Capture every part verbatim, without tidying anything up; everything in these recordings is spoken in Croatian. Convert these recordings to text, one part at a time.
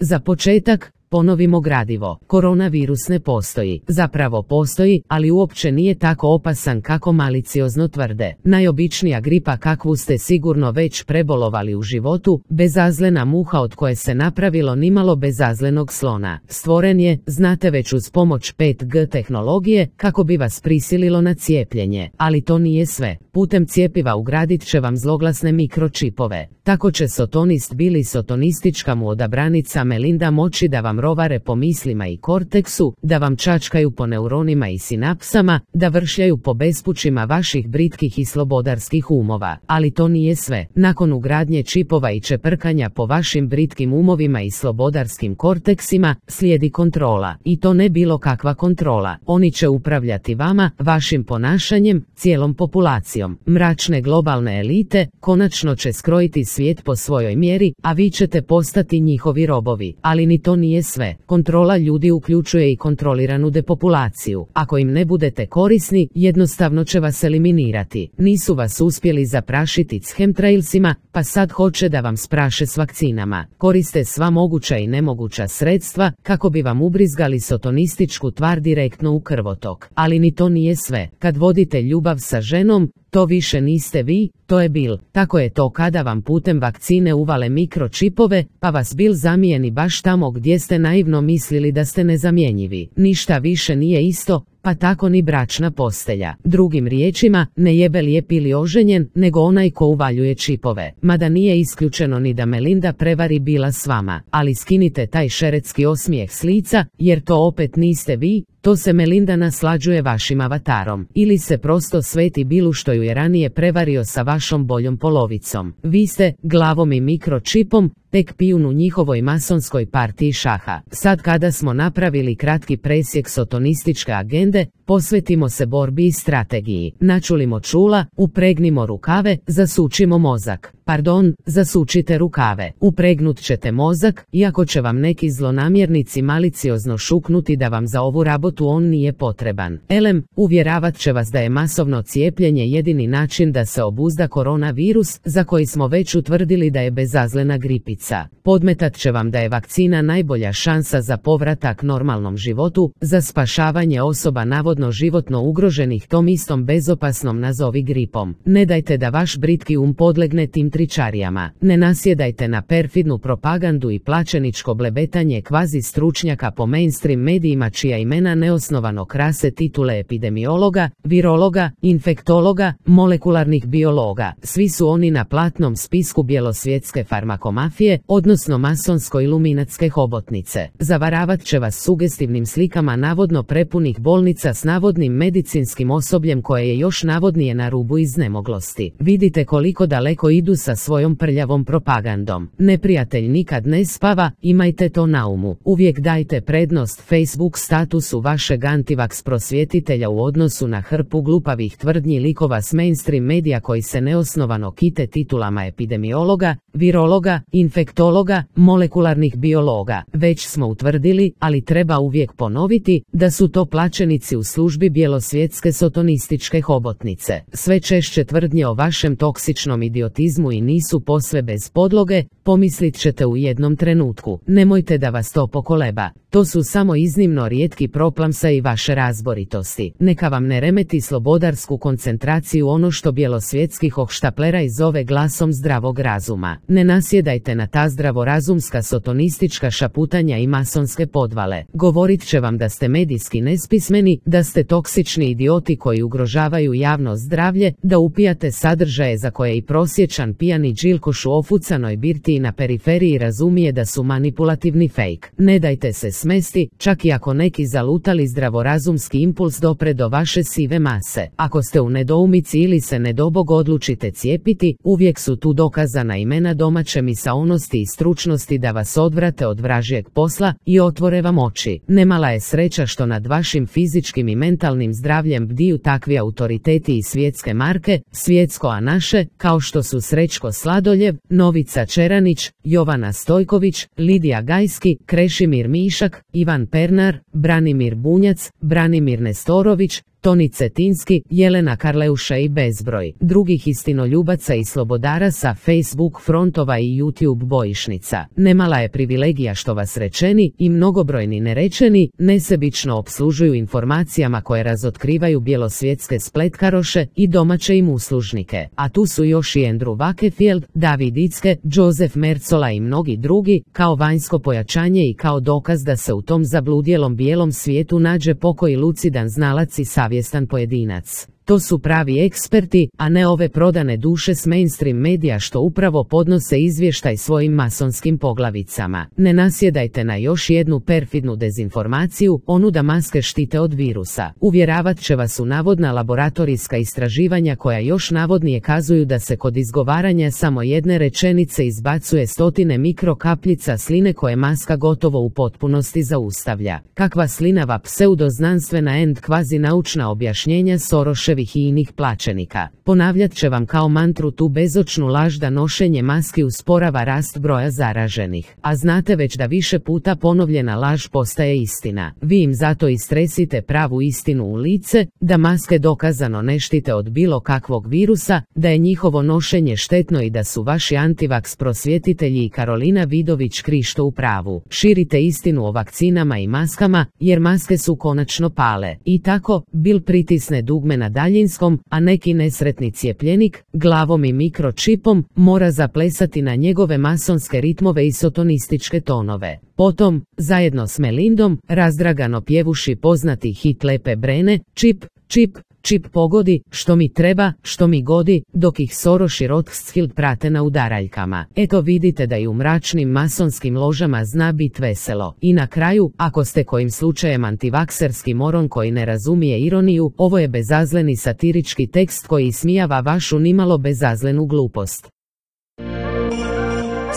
Za početak, ponovimo gradivo. Koronavirus ne postoji. Zapravo postoji, ali uopće nije tako opasan kako maliciozno tvrde. Najobičnija gripa kakvu ste sigurno već prebolovali u životu, bezazlena muha od koje se napravilo nimalo bezazlenog slona. Stvoren je, znate već uz pomoć pet G tehnologije, kako bi vas prisililo na cijepljenje. Ali to nije sve. Putem cjepiva ugradit će vam zloglasne mikročipove. Tako će sotonist Bili sotonistička mu odabranica Melinda moći da vam rovare po mislima i korteksu, da vam čačkaju po neuronima i sinapsama, da vršljaju po bespućima vaših britkih i slobodarskih umova. Ali to nije sve. Nakon ugradnje čipova i čeprkanja po vašim britkim umovima i slobodarskim korteksima, slijedi kontrola. I to ne bilo kakva kontrola. Oni će upravljati vama, vašim ponašanjem, cijelom populacijom. Mračne globalne elite konačno će skrojiti svijet po svojoj mjeri, a vi ćete postati njihovi robovi. Ali ni to nije sve. Kontrola ljudi uključuje i kontroliranu depopulaciju. Ako im ne budete korisni, jednostavno će vas eliminirati. Nisu vas uspjeli zaprašiti s chemtrailsima, pa sad hoće da vam spraše s vakcinama. Koriste sva moguća i nemoguća sredstva kako bi vam ubrizgali sotonističku tvar direktno u krvotok. Ali ni to nije sve. Kad vodite ljubav sa ženom, to više niste vi, to je Bil. Tako je to kada vam putem vakcine uvale mikročipove, pa vas Bil zamijeni baš tamo gdje ste naivno mislili da ste nezamjenjivi. Ništa više nije isto, pa tako ni bračna postelja. Drugim riječima, ne jebe lijep ili oženjen, nego onaj ko uvaljuje čipove. Mada nije isključeno ni da Melinda prevari Bila s vama. Ali skinite taj šeretski osmijeh s lica, jer to opet niste vi, to se Melinda naslađuje vašim avatarom. Ili se prosto sveti Bilu što ju je ranije prevario sa vašom boljom polovicom. Vi ste, glavom i mikročipom, tek pijun u njihovoj masonskoj partiji šaha. Sad kada smo napravili kratki presjek sotonističke agende, posvetimo se borbi i strategiji. Načulimo čula, upregnimo rukave, zasučimo mozak. Pardon, zasučite rukave. Upregnut ćete mozak, iako će vam neki zlonamjernici maliciozno šuknuti da vam za ovu rabotu on nije potreban. Elem, uvjeravat će vas da je masovno cijepljenje jedini način da se obuzda koronavirus, za koji smo već utvrdili da je bezazlena gripica. Podmetat će vam da je vakcina najbolja šansa za povratak normalnom životu, za spašavanje osoba navodno životno ugroženih tom istom bezopasnom nazovi gripom. Ne dajte da vaš britki um podlegne tim tričarijama. Ne nasjedajte na perfidnu propagandu i plaćeničko blebetanje kvazi stručnjaka po mainstream medijima čija imena neosnovano krase titule epidemiologa, virologa, infektologa, molekularnih biologa. Svi su oni na platnom spisku bjelosvjetske farmakomafije, odnosno masonsko-iluminatske hobotnice. Zavaravat će vas sugestivnim slikama navodno prepunih bolnica s navodnim medicinskim osobljem koje je još navodnije na rubu iznemoglosti. Vidite koliko daleko idu sa svojom prljavom propagandom. Neprijatelj nikad ne spava, imajte to na umu. Uvijek dajte prednost Facebook statusu vašeg antivaks prosvjetitelja u odnosu na hrpu glupavih tvrdnji likova s mainstream medija koji se neosnovano kite titulama epidemiologa, virologa, infektologa, molekularnih biologa. Već smo utvrdili, ali treba uvijek ponoviti, da su to plaćenici u službi bjelosvjetske sotonističke hobotnice. Sve češće tvrdnje o vašem toksičnom idiotizmu i nisu posve bez podloge, pomislit ćete u jednom trenutku. Nemojte da vas to pokoleba. To su samo iznimno rijetki proplamsa i vaše razboritosti. Neka vam ne remeti slobodarsku koncentraciju ono što bjelosvjetski hohštapleraj zove glasom zdravog razuma. Ne nasjedajte na ta zdravorazumska sotonistička šaputanja i masonske podvale. Govorit će vam da ste medijski nespismeni, da ste toksični idioti koji ugrožavaju javno zdravlje, da upijate sadržaje za koje i prosječan pijani džilkoš u ofucanoj birtiji na periferiji razumije da su manipulativni fake. Ne dajte se smesti, čak i ako neki zalutali zdravorazumski impuls dopre do vaše sive mase. Ako ste u nedoumici ili se nedobog odlučite cijepiti, uvijek su tu dokazana imena domaće misaonosti i stručnosti da vas odvrate od vražjeg posla i otvore vam oči. Nemala je sreća što nad vašim fizičkim i mentalnim zdravljem bdiju takvi autoriteti i svjetske marke, svjetsko a naše, kao što su Srećko Sladoljev, Novica Čeranić, Jovana Stojković, Lidija Gajski, Krešimir Mišak, Ivan Pernar, Branimir Bunjac, Branimir Nestorović, Toni Cetinski, Jelena Karleuša i bezbroj drugih istinoljubaca i slobodara sa Facebook frontova i YouTube bojišnica. Nemala je privilegija što vas rečeni i mnogobrojni nerečeni nesebično opslužuju informacijama koje razotkrivaju bjelosvjetske spletkaroše i domaće im uslužnike. A tu su još i Andrew Wakefield, David Icke, Joseph Mercola i mnogi drugi, kao vanjsko pojačanje i kao dokaz da se u tom zabludjelom bijelom svijetu nađe pokoji lucidan znalac i savjestan pojedinac. To su pravi eksperti, a ne ove prodane duše s mainstream medija što upravo podnose izvještaj svojim masonskim poglavicama. Ne nasjedajte na još jednu perfidnu dezinformaciju, onu da maske štite od virusa. Uvjeravat će vas u navodna laboratorijska istraživanja koja još navodnije kazuju da se kod izgovaranja samo jedne rečenice izbacuje stotine mikrokapljica sline koje maska gotovo u potpunosti zaustavlja. Kakva slinava pseudoznanstvena end kvazi naučna objašnjenja Soroševih i inih plaćenika. Ponavljat će vam kao mantru tu bezočnu laž da nošenje maski usporava rast broja zaraženih. A znate već da više puta ponovljena laž postaje istina. Vi im zato istresite pravu istinu u lice, da maske dokazano ne štite od bilo kakvog virusa, da je njihovo nošenje štetno i da su vaši antivaks prosvjetitelji i Karolina Vidović Krišto u pravu. Širite istinu o vakcinama i maskama, jer maske su konačno pale. I tako, Bill pritisne dugme na daljinskom, a neki nesretni cijepljenik, glavom i mikročipom, mora zaplesati na njegove masonske ritmove i sotonističke tonove. Potom, zajedno s Melindom, razdragano pjevuši poznati hit Lepe Brene, čip, čip, čip pogodi, što mi treba, što mi godi, dok ih Soros i Rothschild prate na udaraljkama. Eto vidite da i u mračnim masonskim ložama zna bit veselo. I na kraju, ako ste kojim slučajem antivakserski moron koji ne razumije ironiju, ovo je bezazleni satirički tekst koji ismijava vašu nimalo bezazlenu glupost.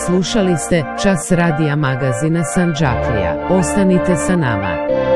Slušali ste Čas radija magazina Sandžaklija. Ostanite sa nama.